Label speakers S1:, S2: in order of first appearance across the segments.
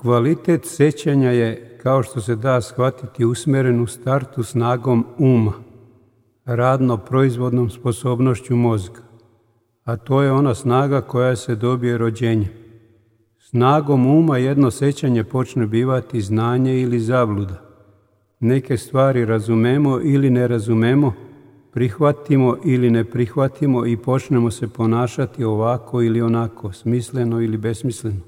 S1: Kvalitet sećanja je, kao što se da shvatiti, usmjeren u startu snagom uma, radno-proizvodnom sposobnošću mozga, a to je ona snaga koja se dobije rođenjem. Snagom uma jedno sećanje počne bivati znanje ili zabluda. Neke stvari razumemo ili ne razumemo, prihvatimo ili ne prihvatimo i počnemo se ponašati ovako ili onako, smisleno ili besmisleno.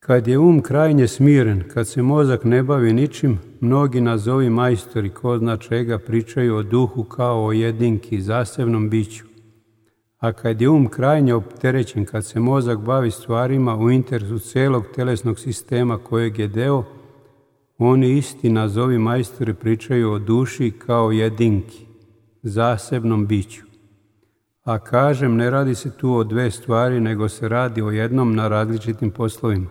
S1: Kad je krajnje smiren, kad se mozak ne bavi ničim, mnogi nazovi majstori, ko zna čega, pričaju o duhu kao o jedinki, zasebnom biću. A kad je krajnje opterećen, kad se mozak bavi stvarima u interesu celog telesnog sistema kojeg je deo, oni isti nazovi majstori pričaju o duši kao jedinki, zasebnom biću. A kažem, ne radi se tu o dve stvari, nego se radi o jednom na različitim poslovima.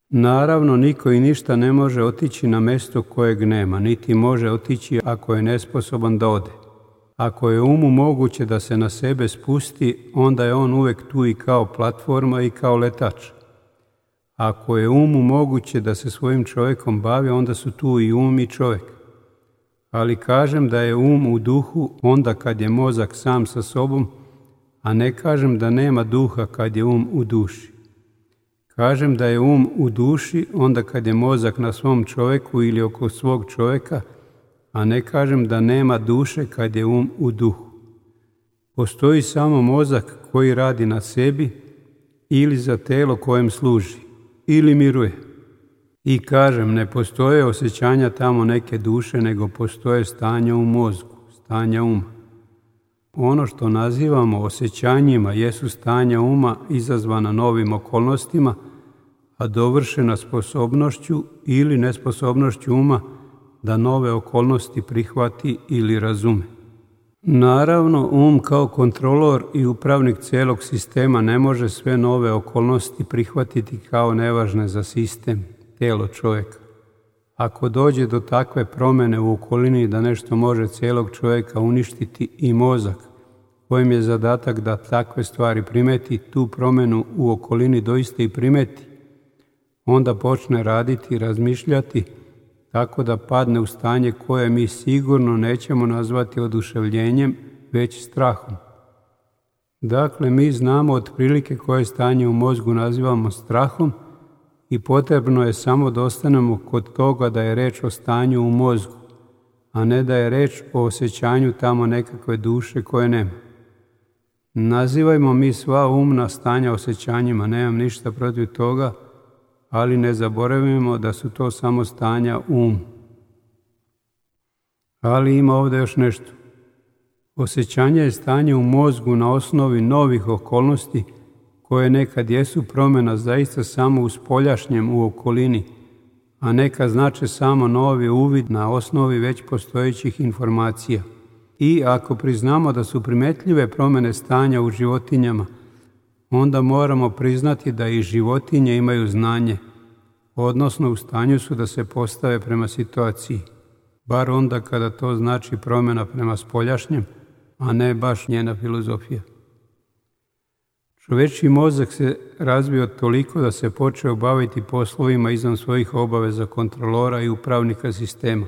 S1: Naravno, niko i ništa ne može otići na mesto kojeg nema, niti može otići ako je nesposoban da ode. Ako je umu moguće da se na sebe spusti, onda je on uvek tu i kao platforma i kao letač. Ako je umu moguće da se svojim čovjekom bavi, onda su tu i i čovjek. Ali kažem da je u duhu onda kad je mozak sam sa sobom, a ne kažem da nema duha kad je u duši. Kažem da je u duši onda kad je mozak na svom čovjeku ili oko svog čovjeka, a ne kažem da nema duše kad je u duhu. Postoji samo mozak koji radi na sebi ili za telo kojem služi, ili miruje. I kažem, ne postoje osjećanja tamo neke duše, nego postoje stanja u mozgu, stanja uma. Ono što nazivamo osjećanjima jesu stanja uma izazvana novim okolnostima, a dovršena sposobnošću ili nesposobnošću uma da nove okolnosti prihvati ili razume. Naravno, kao kontrolor i upravnik cijelog sistema ne može sve nove okolnosti prihvatiti kao nevažne za sistem, tijelo čovjeka. Ako dođe do takve promjene u okolini da nešto može cijelog čovjeka uništiti i mozak, kojem je zadatak da takve stvari primeti, tu promjenu u okolini doista i primeti, onda počne raditi i razmišljati tako da padne u stanje koje mi sigurno nećemo nazvati oduševljenjem, već strahom. Dakle, mi znamo otprilike koje stanje u mozgu nazivamo strahom i potrebno je samo da ostanemo kod toga da je reč o stanju u mozgu, a ne da je reč o osjećanju tamo nekakve duše koje nema. Nazivajmo mi sva umna stanja osjećanjima, nemam ništa protiv toga, ali ne zaboravimo da su to samo stanja Ali ima ovdje još nešto. Osjećanje je stanje u mozgu na osnovi novih okolnosti koje nekad jesu promjena zaista samo u spoljašnjem u okolini, a neka znače samo novi uvid na osnovi već postojećih informacija. I ako priznamo da su primetljive promjene stanja u životinjama, onda moramo priznati da i životinje imaju znanje, odnosno u stanju su da se postave prema situaciji, bar onda kada to znači promjena prema spoljašnjem, a ne baš njena filozofija. Čovječji mozak se razvio toliko da se počeo baviti poslovima izvan svojih obaveza kontrolora i upravnika sistema.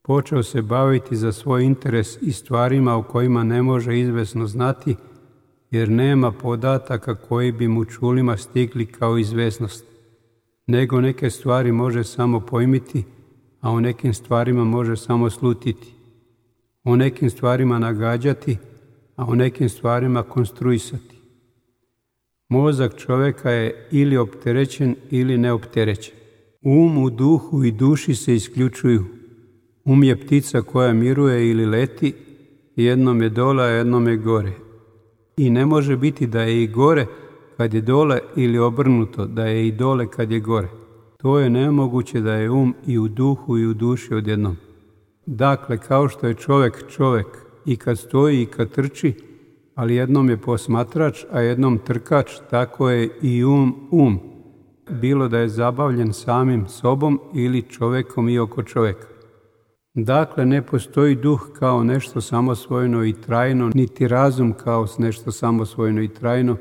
S1: Počeo se baviti za svoj interes i stvarima o kojima ne može izvesno znati, jer nema podataka koji bi mu čulima stigli kao izvesnost, nego neke stvari može samo pojmiti, a o nekim stvarima može samo slutiti, o nekim stvarima nagađati, a o nekim stvarima konstruisati. Mozak čovjeka je ili opterećen ili neopterećen. U duhu i duši se isključuju. Je ptica koja miruje ili leti, jednom je dole, a jednom je gore. I ne može biti da je i gore kad je dole ili obrnuto, da je i dole kad je gore. To je nemoguće da je i u duhu i u duši odjednom. Dakle, kao što je čovjek i kad stoji i kad trči, ali jednom je posmatrač, a jednom trkač, tako je i bilo da je zabavljen samim sobom ili čovjekom i oko čovjeka. Dakle, ne postoji duh kao nešto samosvojno i trajno, niti razum kao nešto samosvojno i trajno,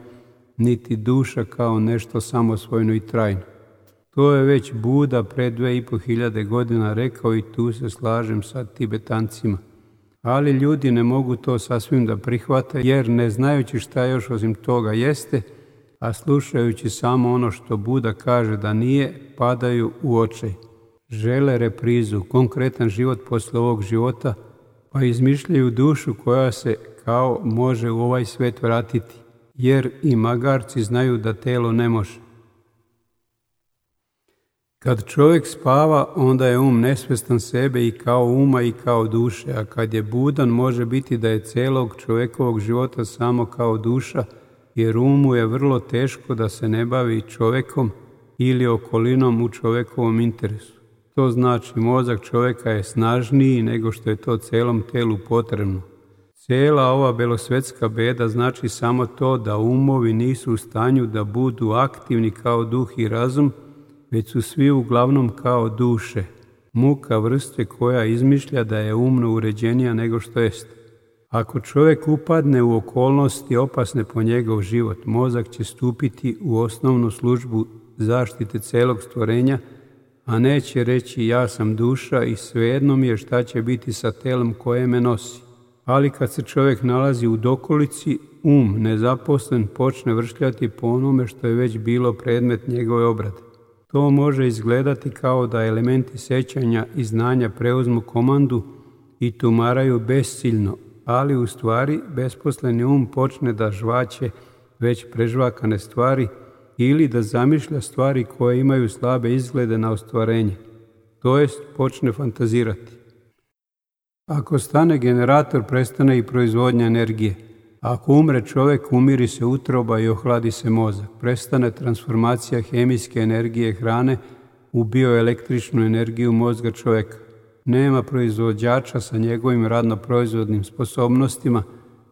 S1: niti duša kao nešto samosvojno i trajno. To je već Buda pre 2500 godina rekao i tu se slažem sa Tibetancima. Ali ljudi ne mogu to sasvim da prihvate jer ne znajući šta još osim toga jeste, a slušajući samo ono što Buda kaže da nije, padaju u očaj. Žele reprizu, konkretan život posle ovog života, pa izmišljaju dušu koja se kao može u ovaj svet vratiti, jer i magarci znaju da telo ne može. Kad čovjek spava, onda je nesvestan sebe i kao uma i kao duše, a kad je budan može biti da je celog čovjekovog života samo kao duša, jer umu je vrlo teško da se ne bavi čovjekom ili okolinom u čovjekovom interesu. To znači mozak čovjeka je snažniji nego što je to celom telu potrebno. Cijela ova belosvetska beda znači samo to da umovi nisu u stanju da budu aktivni kao duh i razum, već su svi uglavnom kao duše, muka vrste koja izmišlja da je umno uređenija nego što jest. Ako čovjek upadne u okolnosti opasne po njegov život, mozak će stupiti u osnovnu službu zaštite celog stvorenja, a neće reći ja sam duša i svejedno mi je šta će biti sa telom koje me nosi. Ali kad se čovjek nalazi u dokolici, nezaposlen počne vršljati po onome što je već bilo predmet njegove obrade. To može izgledati kao da elementi sećanja i znanja preuzmu komandu i tumaraju besciljno, ali u stvari besposleni počne da žvaće već prežvakane stvari ili da zamišlja stvari koje imaju slabe izglede na ostvarenje, to jest počne fantazirati. Ako stane generator, prestane i proizvodnja energije. Ako umre čovjek, umiri se utroba i ohladi se mozak. Prestane transformacija hemijske energije hrane u bioelektričnu energiju mozga čovjeka. Nema proizvođača sa njegovim radno-proizvodnim sposobnostima,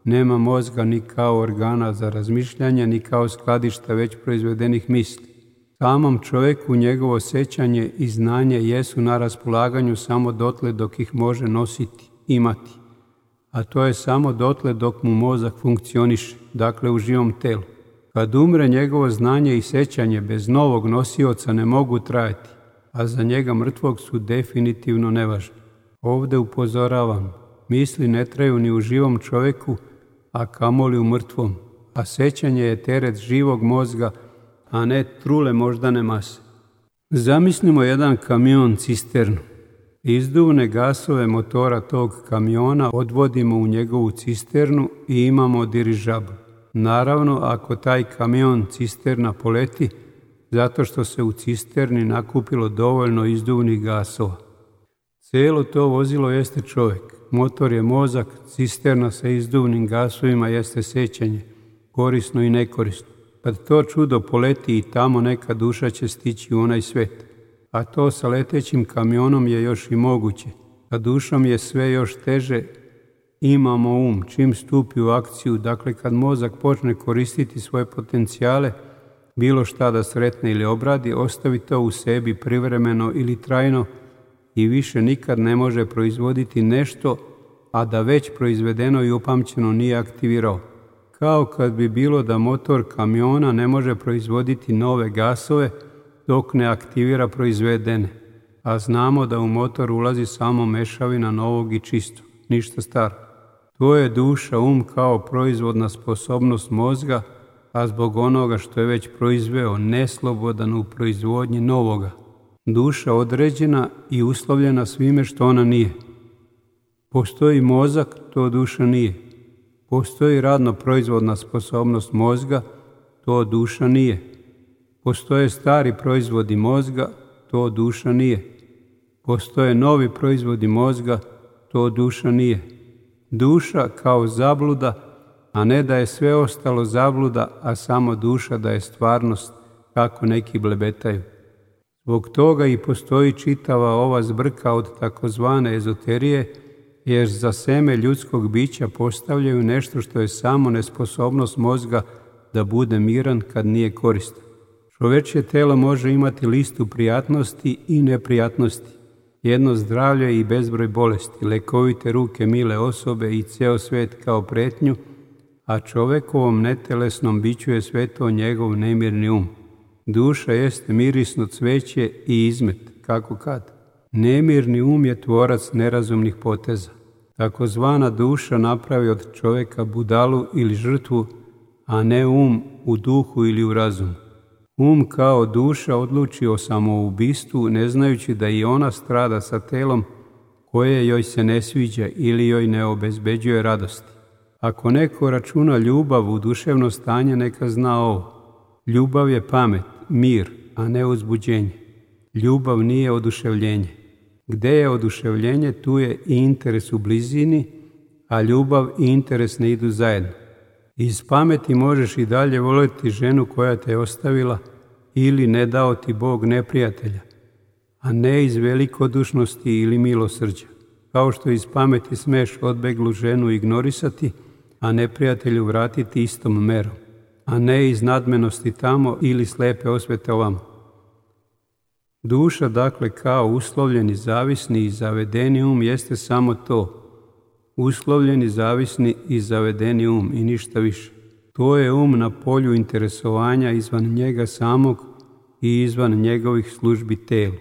S1: nema mozga ni kao organa za razmišljanje, ni kao skladišta već proizvedenih misli. Samom čovjeku njegovo sećanje i znanje jesu na raspolaganju samo dotle dok ih može nositi, imati. A to je samo dotle dok mu mozak funkcioniše, dakle u živom telu. Kad umre, njegovo znanje i sećanje bez novog nosioca ne mogu trajati, a za njega mrtvog su definitivno nevažni. Ovdje upozoravam, misli ne traju ni u živom čovjeku, a kamoli u mrtvom, a sećanje je teret živog mozga, a ne trule moždane mase. Zamislimo jedan kamion cisternu. Izduvne gasove motora tog kamiona odvodimo u njegovu cisternu i imamo dirižabl. Naravno, ako taj kamion cisterna poleti, zato što se u cisterni nakupilo dovoljno izduvnih gasova. Cijelo to vozilo jeste čovjek, motor je mozak, cisterna sa izduvnim gasovima jeste sećanje, korisno i nekorisno. Kad to čudo poleti i tamo neka duša će stići u onaj svet. A to sa letećim kamionom je još i moguće. A dušom je sve još teže, imamo čim stupi u akciju, dakle kad mozak počne koristiti svoje potencijale, bilo šta da sretne ili obradi, ostavi to u sebi privremeno ili trajno i više nikad ne može proizvoditi nešto, a da već proizvedeno i upamćeno nije aktivirao. Kao kad bi bilo da motor kamiona ne može proizvoditi nove gasove dok ne aktivira proizvedene, a znamo da u motor ulazi samo mešavina novog i čistog, ništa staro. To je duša, kao proizvodna sposobnost mozga, a zbog onoga što je već proizveo, neslobodan u proizvodnji novoga. Duša određena i uslovljena svime što ona nije. Postoji mozak, to duša nije. Postoji radno-proizvodna sposobnost mozga, to duša nije. Postoje stari proizvodi mozga, to duša nije. Postoje novi proizvodi mozga, to duša nije. Duša kao zabluda, a ne da je sve ostalo zabluda, a samo duša da je stvarnost, kako neki blebetaju. Zbog toga i postoji čitava ova zbrka od takozvane ezoterije, jer za seme ljudskog bića postavljaju nešto što je samo nesposobnost mozga da bude miran kad nije koristan. Čovečje telo može imati listu prijatnosti i neprijatnosti, jedno zdravlje i bezbroj bolesti, lekovite ruke mile osobe i ceo svet kao pretnju, a čovekovom netelesnom biću je sve to njegov nemirni um. Duša jeste mirisno cveće i izmet, kako kad. Nemirni um je tvorac nerazumnih poteza. Takozvana duša napravi od čoveka budalu ili žrtvu, a ne um u duhu ili u razumu. Um kao duša odluči o samoubistvu, ne znajući da i ona strada sa telom koje joj se ne sviđa ili joj ne obezbeđuje radosti. Ako neko računa ljubav u duševno stanje, neka zna ovo. Ljubav je pamet, mir, a ne uzbuđenje. Ljubav nije oduševljenje. Gde je oduševljenje, tu je i interes u blizini, a ljubav i interes ne idu zajedno. Iz pameti možeš i dalje voljeti ženu koja te je ostavila ili ne dao ti Bog neprijatelja, a ne iz velikodušnosti ili milosrđa. Kao što iz pameti smeš odbeglu ženu ignorisati, a neprijatelju vratiti istom merom, a ne iz nadmenosti tamo ili slepe osvete ovamo. Duša, dakle, kao uslovljeni, zavisni i zavedeni um jeste samo to. Uslovljeni, zavisni i zavedeni um i ništa više. To je um na polju interesovanja izvan njega samog i izvan njegovih službi telu.